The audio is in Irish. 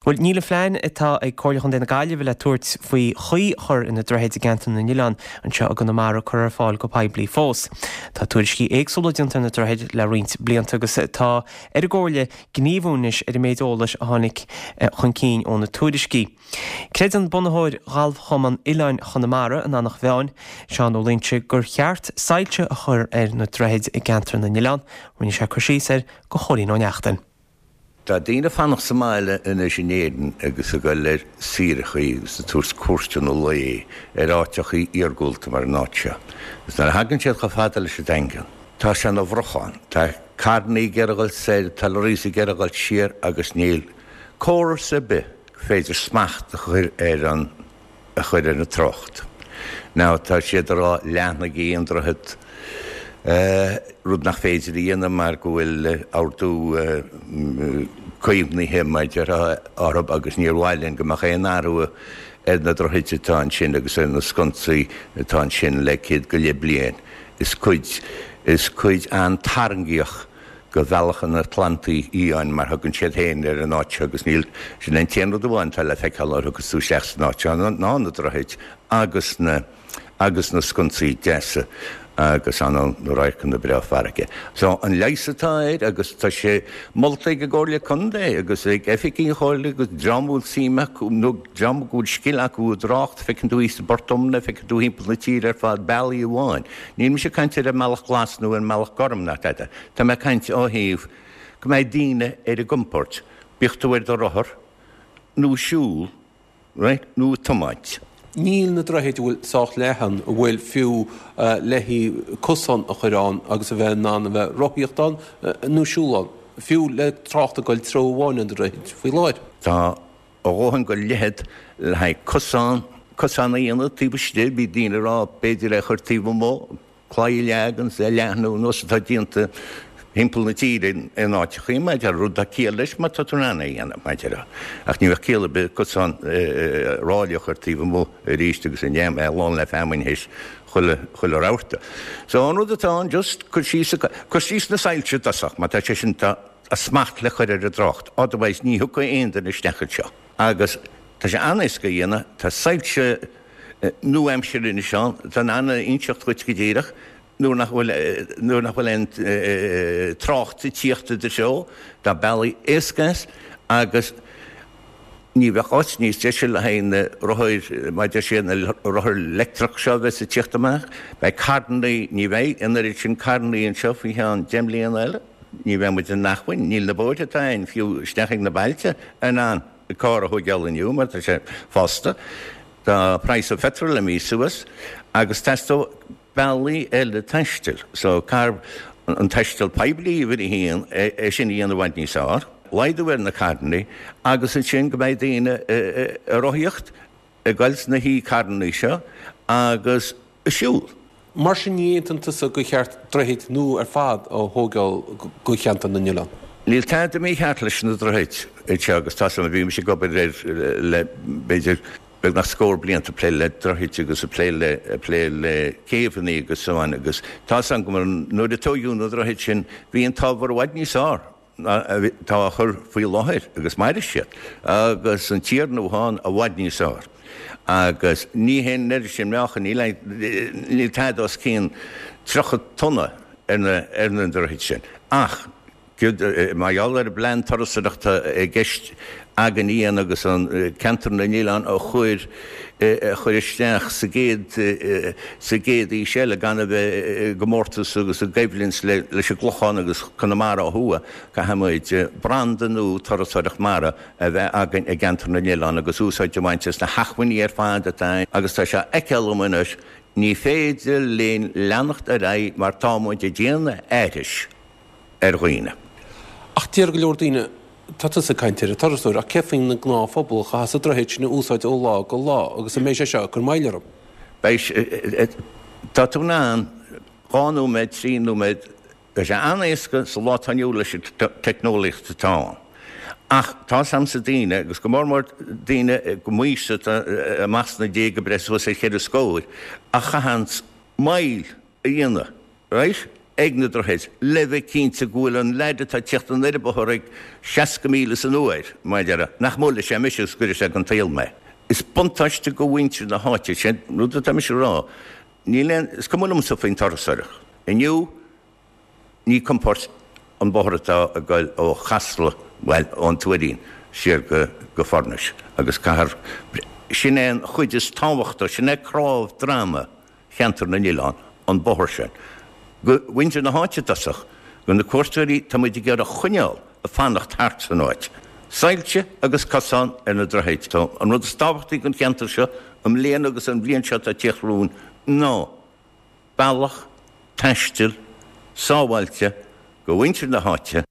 Bhuel, níl an phlean atá ag Comhairle Chontae na Gaillimhe le tabhairt faoi chaoi a chur ar na droichid i gceantar na nOileán anseo i gConamara curtha ar fáil go poiblí fós. Tá tuairiscí éagsúla déanta ar na droichid le roinnt blianta agus tá ar an gComhairle gníomhú anois ar an méid eolais a tháinig chun cinn ó na tuairiscí. Creideann bunaitheoir Ghalfchumann Oileáin Chonamara, an Eanach Mheáin, Seán Ó Loingsigh, gur cheart soilse a chur ar na droichid i gceantar na nOileán. Rinne sé cur síos air do Chóilín Ó Neachtain. Tá daoine ag fanacht sa mbaile anois in Éirinn agus ag dul ar saoireachaí agus ag tabhairt cuairteanna lae ar áiteachaí iargúlta mar an áit seo. Agus nuair a thagann siad chomh fada leis an Daingean, tá sé ina bhrochán. Tá carrannaí ag iarraidh dhul soir, tá lorries ag iarraidh dhul siar agus níl córas ar bith gur féidir smacht a chur ar an a chur ar an trácht. Now tá siad ag rá leathnaigí an droichead, rud nach féidir a dhéanamh mar go bhfuil ordú caomhnaithe mar a déarfá orthu agus níor mhaith linn go mbeadh aon athrú ar na droichid atá ansin agus ar na sconsaí atá ansin le céad go leith bliain. Is cuid, is cuid an-tarraingíoch de Bhealach an Atlantaigh Fhiáin mar thugann siad féin ar an áit seo agus níl, sin é an t-aon rud amháin atá le feiceáil nuair a thiocfas tú isteach san áit seo ná na droichid agus na, agus na sconsaí deasa agus an, na radharcanna breá farraige. So an leigheas atá air agus tá sé molta ag an gComhairle Contae agus ag oifigigh an Chomhairle agus dream a bhfuil suim acu nó dream go bhfuil scil acu i dtrácht, feiceann tú thíos i bPort Omna, feiceann tú thimpeall na tíre ar fad, bealaí amháin. Níl mise ag caint ar an mbealach glas nó ar an mbealach gorm ná tada. Tá mé ag caint ó thaobh go mbeidh daoine ar a gcompord, bíodh tú ar do rothar nó ag siúl, right, nó ag tiomáint. Níl na droichid a bhfuil sách leathan, a bhfuil fiú le haghaidh cosán a chur ann agus a bheith in ann a bheith rothaíocht ann nó siúl ann, fiú le trácht ag dul treo amháin ar na droichid faoi láthair. Tá a dhóthain de leithead le haghaidh cosán, cosán a dhéanamh taobh istigh, bhí daoine ag rá b'fhéidir é a chur taobh amuigh, claí a leagan is é a leathnú nós atá déanta thimpeall na tíre in áiteachaí, mar a déarfá, rud atá ciall leis má tá tú in ann é a dhéanamh, mar a déarfá. Ach ní bheadh ciall ar bith cosán ráille a chur taobh amuigh arís agus an dam é lán le feamainn théis chuile, chuile rabharta. So an rud atá ann just cur síos, cur síos na soilse i dtosach, má tá sé sin, tá smacht le cur ar an dtrácht, otherwise ní thiocfaidh aon duine isteach anseo. Agus tá sé an-éasca a dhéanamh, tá soilse nua-aimseartha anois ann atá in ann a inseacht dhuit go díreach nuair nach bhfuil, nuair nach bhfuil aon trácht ag tíocht i do threo. Tá bealaí éasca as agus ní bheadh áit níos deise le haghaidh na rothair, mar a deir siad, na rothair leictreach seo a bheas ag tíocht amach. Beidh carrannaí, ní bheidh an oiread sin carrannaí anseo faoi cheann 10 mbliana eile. Ní bheidh muid in acmhainn, níl na bóithre atá ann fiú isteach ag na bailte in ann carr a thóigeáil inniu mar tá sé fosta. Tá praghas an pheitril imithe suas agus teastóidh bealaí eile taistil. So caithfear an taisteal poiblí uimhir a haon, é sin a dhéanamh i bhfad níos fearr, laghdú ar na carrannaí agus ansin go mbeidh daoine ag rothaíocht, ag goil sna h-carrannaí seo agus ag siúl. Mar sin ní aontaíonn tusa gur cheart droichid nua ar fad a thóigeáil go cheantar na n-oileán? Níl tada mícheart leis na droichid anseo agus tá san, bhí mise ag obair air le b'fhéidir beagnach scór blianta ag plé le droichid agus ag plé le ag plé le céibheanna agus so on agus tá san go nuair a tóigeadh na droichid sin bhí an t-ábhar i bhfad níos fearr. atá á chur faoi láthair agus mairfidh siad agus an t-iarann atá ann i bhfad níos fearr agus ní haon oiread sin meáchain, níl níl tada os cionn 30 tonna ar na ar na droichid sin ach mar gheall ar an bplean turasóireachta i gceist againn a dhéanamh agus an ceantar na n-oileán a chur a chur isteach sa gcéad sa gcéad aois eile gan a bheith i gcomórtas agus i gcoimhlint leis an gClochán agus Conamara ó thuaidh. Caithfimid branda nua turasóireacht mara a bheith againn i gceantar na n-oileán agus úsáid a bhaint as na hacmhainní ar fad atá ann agus tá sé á fheiceáil agam anois, ní féidir linn leanacht ar aghaidh mar tá muid ag déanamh aithris ar dhaoine. Ach deir go leor daoine, tá tusa ag caint ar an turasóir, ach céard faoin ngnáthphobal a chaithfeas an droichead sin a úsáid ó lá go lá agus an mbeidh sé seo ag cur moill orthu? Beidh, tá tú in ann dhá nóiméad, trí nóiméad, tá sé an-éasca sa lá atá inniu leis an teicneolaíocht atá ann. Ach tá 's a'msa daoine, agus go mór mór daoine go m'aois atá amach sna déaga ag breith suas ar cheithre scór, a chaitheanns moill a dhéanamh. Right? ag na droichid le bheith cinnte go bhfuil an leaid atá ag tíocht anoir an bóthar ag 60 míle san uair, mar a déarfá, nach mbuailfidh sé mise agus go gcuirfidh sé den tsaol mé. Is buntáiste go mhuintir na háite, sé an rud atá mise a rá, níl aon, is cuma liomsa faoin turasóireacht. Inniu, Ní compord an bóthar atá ag goil ó Chasla, bhuel, ón Tuairín siar go Foirnis agus caithfear, sin é an chuid is tábhachtaí, sin é cnámh droma cheantar na nOileán, an bóthar sin. Go mhuintir na háite i dtosach, go na cuairteoirí tá muid ag iarraidh a choinneáil ag fanacht thart san áit. Soilse agus cosán ar na droichid. An rud is tábhachtaí don cheantar seo i mbliana agus an bhliain seo atá ag tíocht romhainn ná, bealach taistil sábháilte go mhuintir na háite.